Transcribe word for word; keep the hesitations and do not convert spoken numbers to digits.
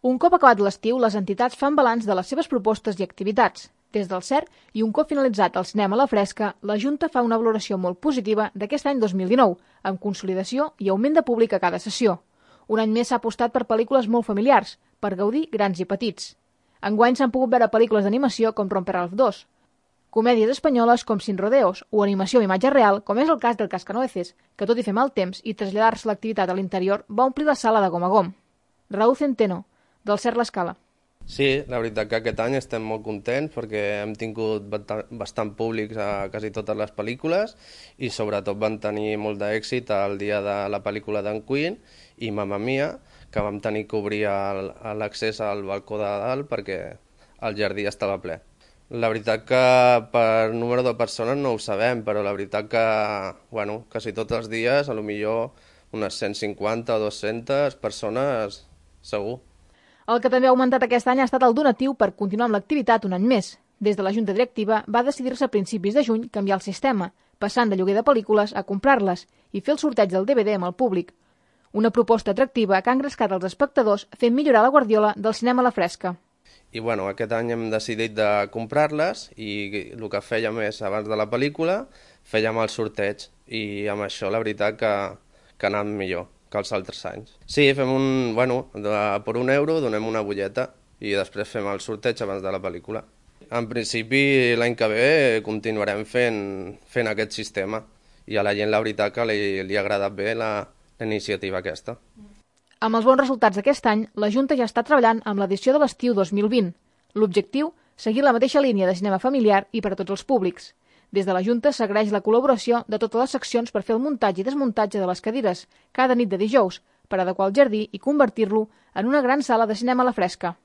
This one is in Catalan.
Un cop acabat l'estiu, les entitats fan balanç de les seves propostes i activitats. Des del C E R i un cop finalitzat el cinema a la fresca, la Junta fa una valoració molt positiva d'aquest any dos mil dinou, amb consolidació i augment de públic a cada sessió. Un any més s'ha apostat per pel·lícules molt familiars, per gaudir grans i petits. Enguany s'han pogut veure pel·lícules d'animació com Romper Ralph dos, comèdies espanyoles com Sin Rodeos o animació amb imatge real, com és el cas del Cascanueces, que tot i fer mal temps i traslladar-se l'activitat a l'interior va omplir la sala de gom a gom. Raúl Centeno, del C E R l'Escala. Sí, la veritat que aquest any estem molt contents perquè hem tingut bastant públics a quasi totes les pel·lícules i sobretot van tenir molt d'èxit el dia de la pel·lícula d'en Queen i Mamma Mia, que vam tenir que obrir l'accés al balcó de dalt perquè el jardí estava ple. La veritat que per número de persones no ho sabem, però la veritat que, bueno, quasi tots els dies, a lo millor unes cent cinquanta o dues-centes persones segur. El que també ha augmentat aquest any ha estat el donatiu per continuar amb l'activitat un any més. Des de la Junta Directiva va decidir-se a principis de juny canviar el sistema, passant de lloguer de pel·lícules a comprar-les i fer el sorteig del D V D amb el públic. Una proposta atractiva que ha engrescat els espectadors fent millorar la guardiola del cinema a la fresca. I bueno, aquest any hem decidit de comprar-les i el que fèiem és, abans de la pel·lícula, fèiem el sorteig i amb això la veritat que, que ha anat millor que els altres anys. Sí, fem un, bueno, de, per un euro donem una butlleta i després fem el sorteig abans de la pel·lícula. En principi l'any que ve continuarem fent, fent aquest sistema i a la gent la veritat que li, li ha agradat bé la, la iniciativa aquesta. Amb els bons resultats d'aquest any, la Junta ja està treballant amb l'edició de l'estiu dos mil vint. L'objectiu, seguir la mateixa línia de cinema familiar i per a tots els públics. Des de la Junta s'agraeix la col·laboració de totes les seccions per fer el muntatge i desmuntatge de les cadires cada nit de dijous per adequar el jardí i convertir-lo en una gran sala de cinema a la fresca.